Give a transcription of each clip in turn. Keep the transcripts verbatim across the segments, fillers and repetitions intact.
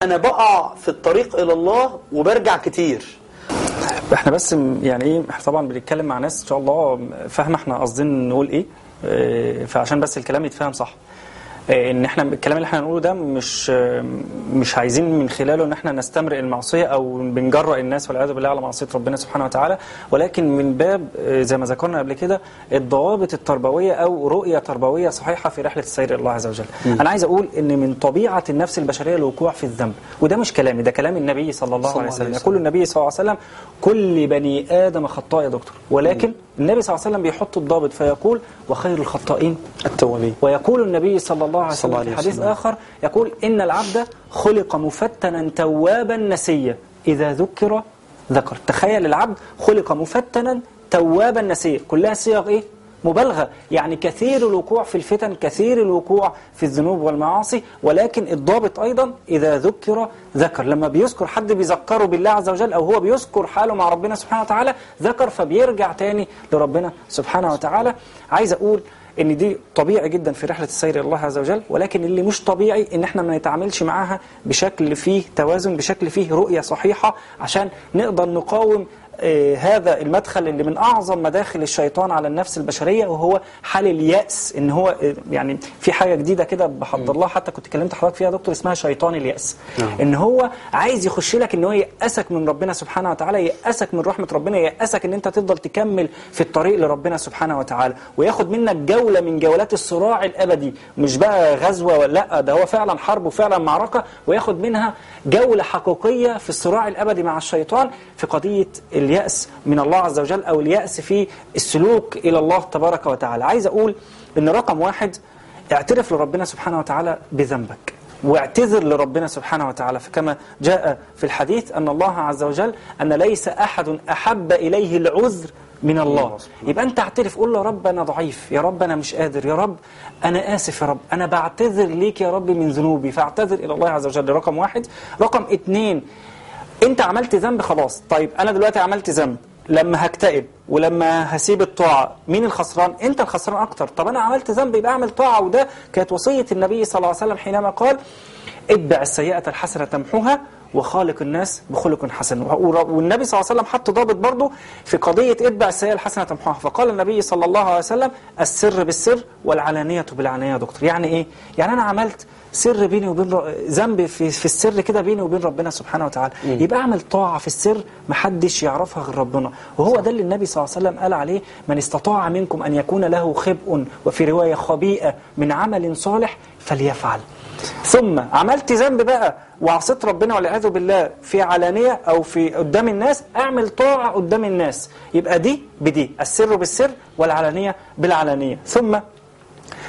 انا بقع في الطريق الى الله وبرجع كتير. احنا بس يعني ايه، احنا طبعا بنتكلم مع ناس ان شاء الله فاهمه احنا قاصدين نقول ايه، اه فعشان بس الكلام يتفهم صح. ان احنا الكلام اللي احنا هنقوله ده مش مش عايزين من خلاله ان احنا نستمرئ المعصيه او بنجرأ الناس والعياذ بالله على معصيه ربنا سبحانه وتعالى، ولكن من باب زي ما ذكرنا قبل كده الضوابط التربويه او رؤيه تربويه صحيحه في رحله السير الى الله عز وجل. م. انا عايز اقول ان من طبيعه النفس البشريه الوقوع في الذنب، وده مش كلامي، ده كلام النبي صلى الله عليه وسلم. يقول النبي صلى الله عليه وسلم: كل بني ادم خطاء يا دكتور، ولكن م. النبي صلى الله عليه وسلم بيحط الضابط فيقول: وخير الخطائين التوابين. ويقول النبي صلى الله عليه وسلم في حديث آخر يقول: إن العبد خلق مفتنا توابا نسيا إذا ذكر ذكر. تخيل العبد خلق مفتنا توابا نسيا، كلها صيغ إيه؟ مبالغة، يعني كثير الوقوع في الفتن، كثير الوقوع في الذنوب والمعاصي، ولكن الضابط أيضا إذا ذكر ذكر. لما بيذكر حد بيذكره بالله عز وجل أو هو بيذكر حاله مع ربنا سبحانه وتعالى ذكر، فبيرجع تاني لربنا سبحانه وتعالى. عايز أقول ان دي طبيعي جدا في رحلة السير الى الله عز وجل، ولكن اللي مش طبيعي ان احنا ما نتعاملش معاها بشكل فيه توازن، بشكل فيه رؤية صحيحة، عشان نقدر نقاوم آه هذا المدخل اللي من اعظم مداخل الشيطان على النفس البشرية، وهو حال اليأس. ان هو آه يعني في حاجة جديدة كده بحضر الله، حتى كنت كلمت حضرتك فيها دكتور، اسمها شيطان اليأس. ان هو عايز يخش لك ان هو يأسك من ربنا سبحانه وتعالى، يأسك من رحمة ربنا، يأسك ان انت تفضل تكمل في الطريق لربنا سبحانه وتعالى، وياخد منك جولة من جولات الصراع الأبدي، مش بقى غزوة ولا لا، ده هو فعلا حرب وفعلا معركة، وياخد منها جولة حقيقية في الصراع الأبدي مع الشيطان في قضية اليأس من الله عز وجل، أو اليأس في السلوك إلى الله تبارك وتعالى. عايز أقول إن رقم واحد: اعترف لربنا سبحانه وتعالى بذنبك، واعتذر لربنا سبحانه وتعالى، فكما جاء في الحديث أن الله عز وجل أن ليس أحد أحب إليه العذر من الله. يبقى أنت اعترف، قول له: رب أنا ضعيف، يا رب أنا مش قادر، يا رب أنا آسف، يا رب أنا بعتذر ليك يا رب من ذنوبي، فاعتذر إلى الله عز وجل. رقم واحد. رقم اتنين: أنت عملت ذنب خلاص، طيب أنا دلوقتي عملت ذنب، لما هكتئب ولما هسيب الطاعة مين الخسران؟ أنت الخسران أكتر. طب أنا عملت ذنب يبقى أعمل طاعة، وده كانت وصية النبي صلى الله عليه وسلم حينما قال: اتبع السيئة الحسنة تمحوها وخالق الناس بخلق حسن. والنبي صلى الله عليه وسلم حط ضابط برضه في قضية اتبع السيئة الحسنة تمحوها، فقال النبي صلى الله عليه وسلم: السر بالسر والعلانية بالعلانية. يا دكتور يعني إيه؟ يعني أنا عملت سر بيني وبين ذنب في في السر كده بيني وبين ربنا سبحانه وتعالى، م. يبقى اعمل طاعه في السر محدش يعرفها غير ربنا، وهو ده اللي النبي صلى الله عليه وسلم قال عليه: من استطاع منكم ان يكون له خبء، وفي روايه خبيئه، من عمل صالح فليفعل. ثم عملت ذنب بقى وعصيت ربنا والعياذ بالله في علانيه او في قدام الناس، اعمل طاعه قدام الناس، يبقى دي بدي، السر بالسر والعلانيه بالعلانيه. ثم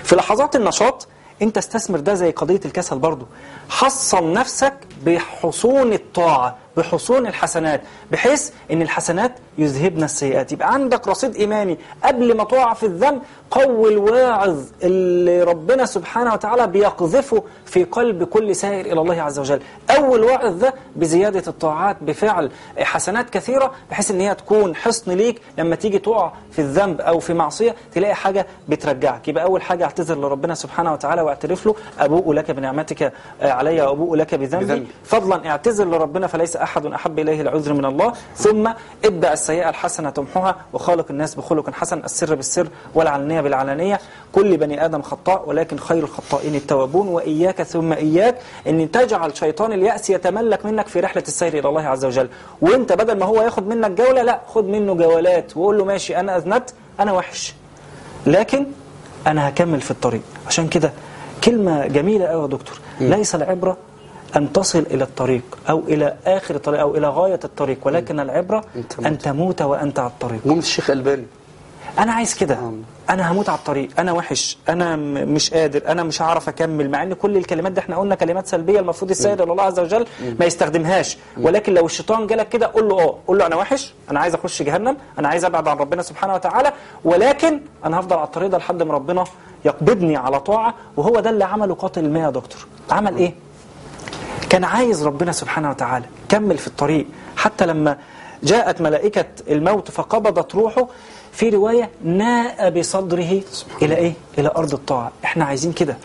في لحظات النشاط انت استثمر ده زي قضية الكسل برضو، حصن نفسك بحصون الطاعة، بحصون الحسنات، بحيث ان الحسنات يذهبن السيئات. يبقى عندك رصيد ايماني قبل ما تقع في الذنب، قوي الواعظ اللي ربنا سبحانه وتعالى بيقذفه في قلب كل سائر الى الله عز وجل. اول واعظ ده بزيادة الطاعات، بفعل حسنات كثيرة، بحيث ان هي تكون حصن ليك لما تيجي تقع في الذنب او في معصية تلاقي حاجة بترجعك. يبقى اول حاجة اعتذر لربنا سبحانه وتعالى واعترف له: ابوء لك بنعمتك علي وابوء لك بذنبي. فضلا اعتذر لربنا فليس احد احب اليه العذر من الله. ثم اتبع السيئة الحسنة تمحوها وخالق الناس بخلق حسن، السر بالسر والعلانية بالعلانية. كل بني آدم خطاء ولكن خير الخطائين التوابون. وإياك ثم إياك أن تجعل شيطان اليأس يتملك منك في رحلة السير إلى الله عز وجل، وانت بدل ما هو ياخد منك جولة، لا، خد منه جولات وقول له: ماشي أنا أذنبت، أنا وحش، لكن أنا هكمل في الطريق. عشان كده كلمة جميلة أوي يا دكتور: ليس العبرة أن تصل إلى الطريق أو إلى آخر الطريق أو إلى غاية الطريق، ولكن العبرة أن تموت وأنت على الطريق. ممكن الشيخ الباني: أنا عايز كده، أنا هموت على الطريق، أنا وحش، أنا مش قادر، أنا مش هعرف أكمل، مع أن كل الكلمات دي احنا قلنا كلمات سلبية المفروض السيد الله عز وجل ما يستخدمهاش. ولكن لو الشيطان جالك كده قول له اه قول له: أنا وحش، أنا عايز أخش جهنم، أنا عايز أبعد عن ربنا سبحانه وتعالى، ولكن أنا هفضل على الطريق ده لحد ما ربنا يقبضني على طاعة. وهو ده اللي عمله قاتل الماء يا دكتور. عمل إيه؟ كان عايز ربنا سبحانه وتعالى، كمل في الطريق حتى لما جاءت ملائكة الموت فقبضت روحه. في رواية: ناء بصدره إلى إيه؟ إلى أرض الطاعة. إحنا عايزين كده،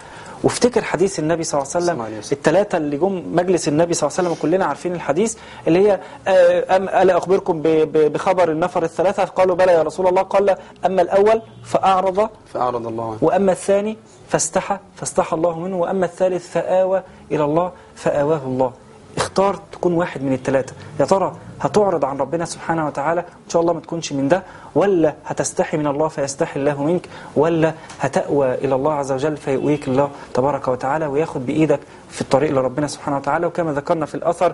وافتكر حديث النبي صلى الله عليه وسلم الثلاثة اللي جم مجلس النبي صلى الله عليه وسلم وكلنا عارفين الحديث اللي هي ألا أخبركم بخبر النفر الثلاثة؟ قالوا بلى يا رسول الله. قال أما الأول فأعرض فأعرض الله عنه، وأما الثاني فاستحى فاستحى الله منه، وأما الثالث فآوى إلى الله فآواه الله. اختار تكون واحد من الثلاثة. يا ترى هتعرض عن ربنا سبحانه وتعالى إن شاء الله ما تكونش من ده، ولا هتستحي من الله فيستحي الله منك، ولا هتأوى إلى الله عز وجل فيؤويك الله تبارك وتعالى وياخد بإيدك في الطريق لربنا سبحانه وتعالى. وكما ذكرنا في الأثر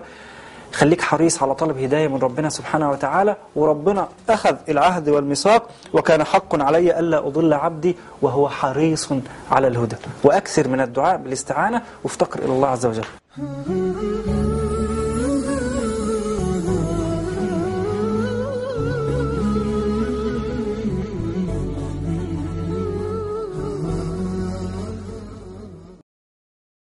خليك حريص على طلب هداية من ربنا سبحانه وتعالى، وربنا أخذ العهد والميثاق وكان حق علي ألا أضل عبدي وهو حريص على الهدى. وأكثر من الدعاء بالاستعانة وافتقر إلى الله عز وجل.